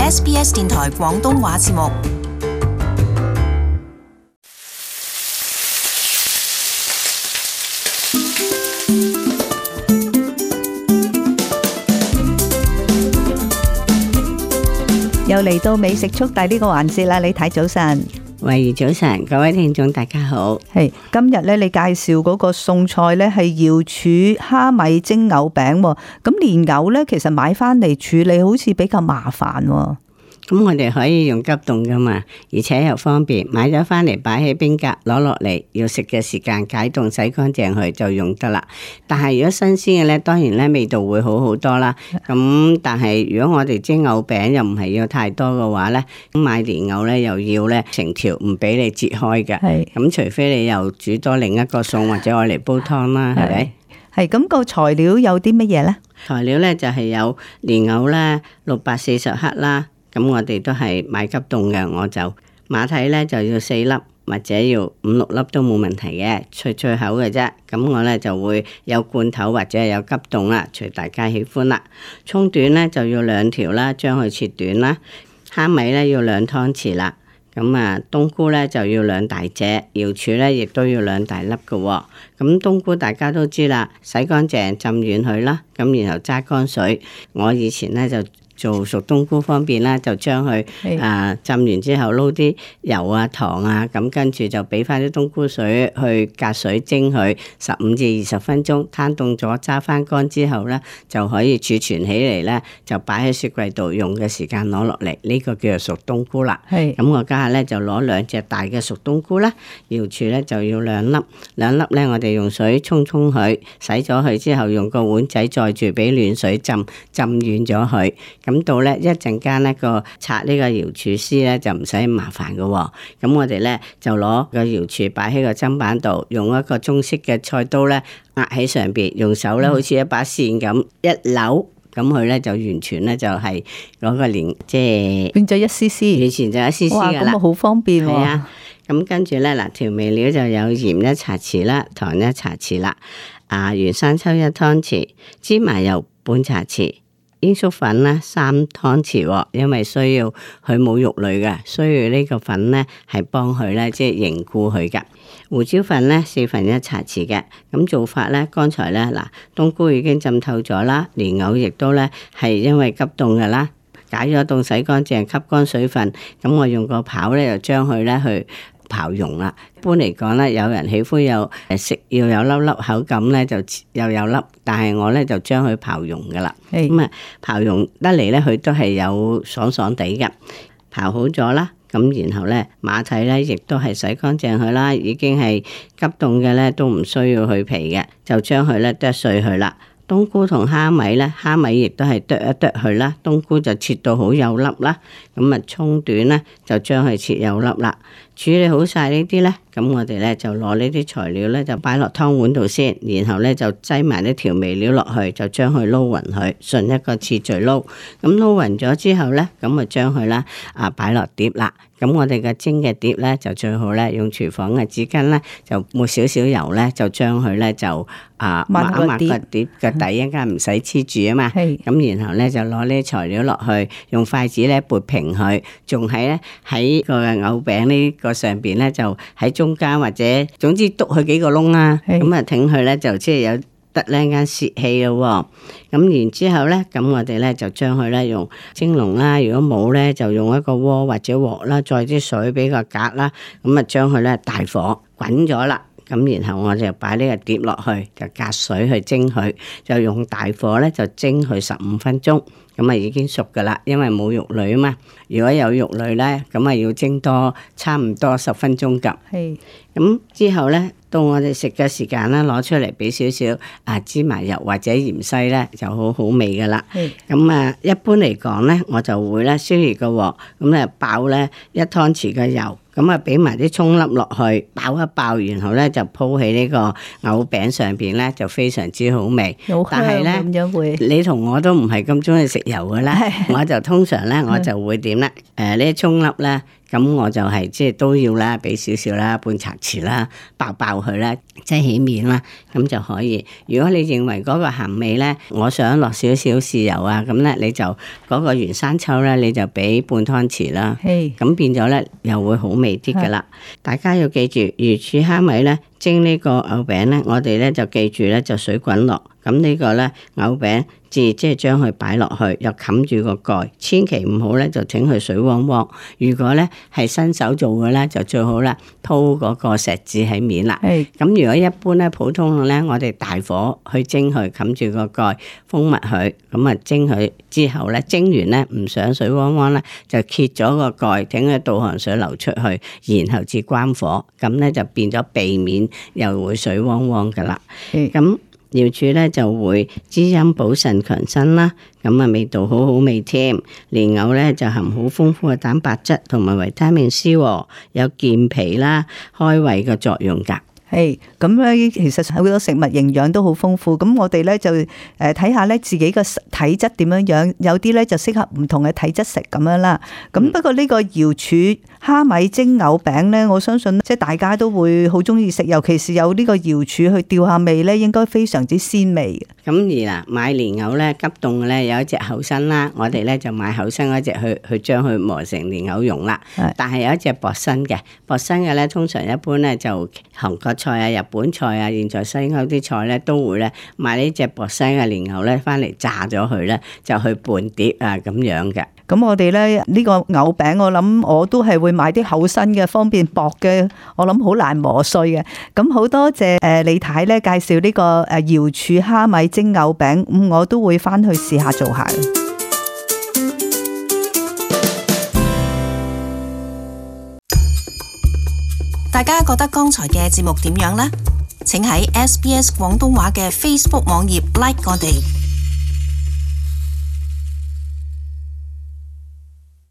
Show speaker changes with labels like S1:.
S1: SBS 電台廣東話節目。
S2: 又嚟到美食速遞呢個環節啦，你睇早晨。
S3: 慧怡早晨，各位聽眾大家好。
S2: 係今日咧，你介紹嗰個餸菜咧係瑤柱蝦米蒸藕餅。咁蓮藕咧，其實買翻嚟處理好似比較麻煩。
S3: 咁我哋可以用急凍噶嘛，而且又方便。買咗翻嚟擺喺冰格，攞落嚟要食嘅時間解凍洗乾淨佢就用得啦。但係如果新鮮嘅咧，當然咧味道會好好多啦。咁但係如果我哋蒸藕餅又唔係要太多嘅話咧，咁買蓮藕咧又要咧成條唔俾你切開嘅。
S2: 係
S3: 咁除非你又煮多另一個餸或者愛嚟煲湯啦，係咪？
S2: 係咁個材料有啲乜嘢咧？
S3: 材料咧就係有蓮藕啦，640克啦。咁我哋都係買急凍嘅，我就馬蹄咧就要4粒或者要5、6粒都冇問題嘅，脆脆口嘅啫。咁我咧就會有罐頭或者係有急凍啦，隨大家喜歡啦。葱段咧就要2條啦，將佢切短啦。蝦米咧要2湯匙啦。咁啊，冬菇咧就要2大隻，瑤柱咧亦都要2大粒嘅。咁冬菇大家都知啦，洗乾淨浸軟佢啦，咁然後揸乾水。我以前咧就做熟冬菇方便啦，就將佢浸完之後撈啲油啊糖啊，咁跟住就俾翻啲冬菇水去隔水蒸佢15至20分鐘，攤凍咗揸翻乾之後咧就可以儲存起嚟咧，就擺喺雪櫃度用嘅時間攞落嚟，呢個叫做熟冬菇啦。咁我家下咧就攞2隻大嘅熟冬菇啦，瑤柱咧就要2粒，2粒咧我哋用水沖佢，洗咗佢之後用個碗仔載住俾暖水浸軟咗佢。咁到咧一陣間咧個拆呢個瑤柱絲咧就唔使麻煩嘅喎。咁我哋咧就攞個瑤柱擺喺個砧板度，用一個中式嘅菜刀咧壓喺上邊，用手咧好似一把線咁一扭，咁佢咧就完全咧就係攞個蓮即係變咗一絲絲，以前就一絲絲噶啦。哇，咁啊好方便喎。係啊，咁跟住咧嗱調味料就有鹽1茶匙啦，糖1茶匙啦，原生抽1湯匙，芝麻油半茶匙。鷹粟粉咧3湯匙，因為需要佢冇肉類嘅，需要呢個粉咧係幫佢咧即係凝固佢噶。胡椒粉咧1/4茶匙嘅。咁做法咧，剛才咧嗱冬菇已經浸透咗啦，蓮藕亦都咧係因為急凍噶啦，解咗凍洗乾淨，吸乾水分。咁我用個刨咧就將佢咧去刨蓉啦。一般嚟講咧，有人喜歡有食要有粒粒口感咧，就又有粒，但係我咧就將佢刨蓉噶啦。咁啊刨蓉得嚟咧，佢都係有爽爽地嘅。刨好咗啦，咁然後咧馬蹄咧亦都係洗乾淨佢啦，已經係急凍嘅咧都唔需要去皮嘅，就將佢咧剁碎佢啦。冬菇同蝦米咧，蝦米亦都係剁一剁佢啦，冬菇就切到好幼粒啦。咁啊葱段咧就將佢切幼粒啦。處理好晒呢啲咧，咁我哋咧就攞呢啲材料咧就擺落湯碗度先，然後咧就擠埋啲調味料落去，就將佢撈勻佢，順一個次序撈。咁撈勻咗之後咧，咁啊將佢啦擺落碟啦。咁我哋嘅蒸嘅碟咧就最好咧用廚房嘅紙巾咧就抹少少油咧，就將佢咧就抹一抹個碟個底，一陣間唔使黐住啊嘛。咁然後咧就攞呢啲材料落去，用筷子咧撥平佢，仲喺個藕餅呢個上邊咧就喺中間或者總之篤佢幾個窿啦。咁啊挺佢咧就即係有得呢間泄氣咯。咁然之後咧，咁我哋咧就將佢咧用蒸籠啦，如果冇咧就用一個鍋或者鑊啦，再啲水俾個格啦，咁啊將佢咧大火滾咗啦。咁然後我就擺呢個碟落去，就隔水去蒸佢，就用大火咧就蒸佢15分鐘，咁啊已經熟噶啦，因為冇肉類啊嘛。如果有肉類咧，咁啊要蒸多差唔多10分鐘咁。咁之後咧，到我哋食嘅時間啦，攞出嚟俾少少芝麻油或者芫茜咧，就好好味噶啦。咁一般嚟講咧，我就會咧燒熱個鑊，咁咧爆咧1湯匙嘅油。咁啊，俾埋啲葱粒落去，爆一爆，然後咧就鋪喺呢個藕餅上邊咧，就非常之好味。但係咧，咁樣會你同我都唔係咁中意食油嘅啦，我就通常咧我就會點咧？呢啲葱粒咧，咁我就係即係都要啦，俾少少啦，半茶匙啦，爆佢啦，即係起面啦，咁就可以。如果你認為嗰個鹹味咧，我想落少少豉油啊，咁咧你就嗰個原生抽咧，你就俾半湯匙啦。咁變咗咧又會好味啲噶啦。大家要記住，魚柱蝦米咧蒸呢個藕餅咧，我哋咧就記住咧就水滾落。咁呢個咧藕餅即係將佢擺落去，又冚住個蓋，千祈唔好咧就整佢水汪汪。如果咧係新手做嘅咧，就最好啦鋪嗰個錫紙喺面啦。咁如果一般咧普通咧，我哋大火去蒸佢，冚住個蓋，封密佢，咁啊蒸佢之後咧，蒸完咧唔想水汪汪咧，就揭咗個蓋，等佢倒汗水流出去，然後至關火，咁咧就變咗避免又會水汪汪噶啦。咁瑤柱咧就會滋陰補腎強身啦，咁啊味道好好味添。蓮藕咧就含好豐富嘅蛋白質同埋維他命 C， 有健脾啦、開胃嘅作用噶。
S2: 咁咧，其實好多食物營養都好豐富。咁我哋咧就睇下咧自己個體質點樣樣，有啲咧就適合唔同嘅體質食咁樣啦。咁不過呢個瑤柱蝦米蒸藕餅咧，我相信即係大家都會好中意食，尤其是有呢個瑤柱去調下味咧，應該非常之鮮味。
S3: 咁而買蓮藕咧急凍嘅咧有一隻厚身啦，我哋咧就買厚身嗰隻去將佢磨成蓮藕蓉啦。但係有一隻薄身嘅咧，通常一般咧就韓國菜啊、日本菜啊、現在西歐啲菜咧都會咧買呢隻薄身嘅蓮藕咧翻嚟炸咗佢咧，就去拌碟啊咁樣嘅。
S2: 咁我哋咧呢個藕餅，我諗我都係會買啲厚身嘅，方便薄嘅，我諗好難磨碎嘅。咁好多謝李太咧介紹呢個瑤柱蝦米蒸藕餅，我都會翻去試下做下。
S1: 大家覺得剛才嘅節目點樣呢？請喺SBS 廣東話嘅 Facebook 網頁 like 我哋。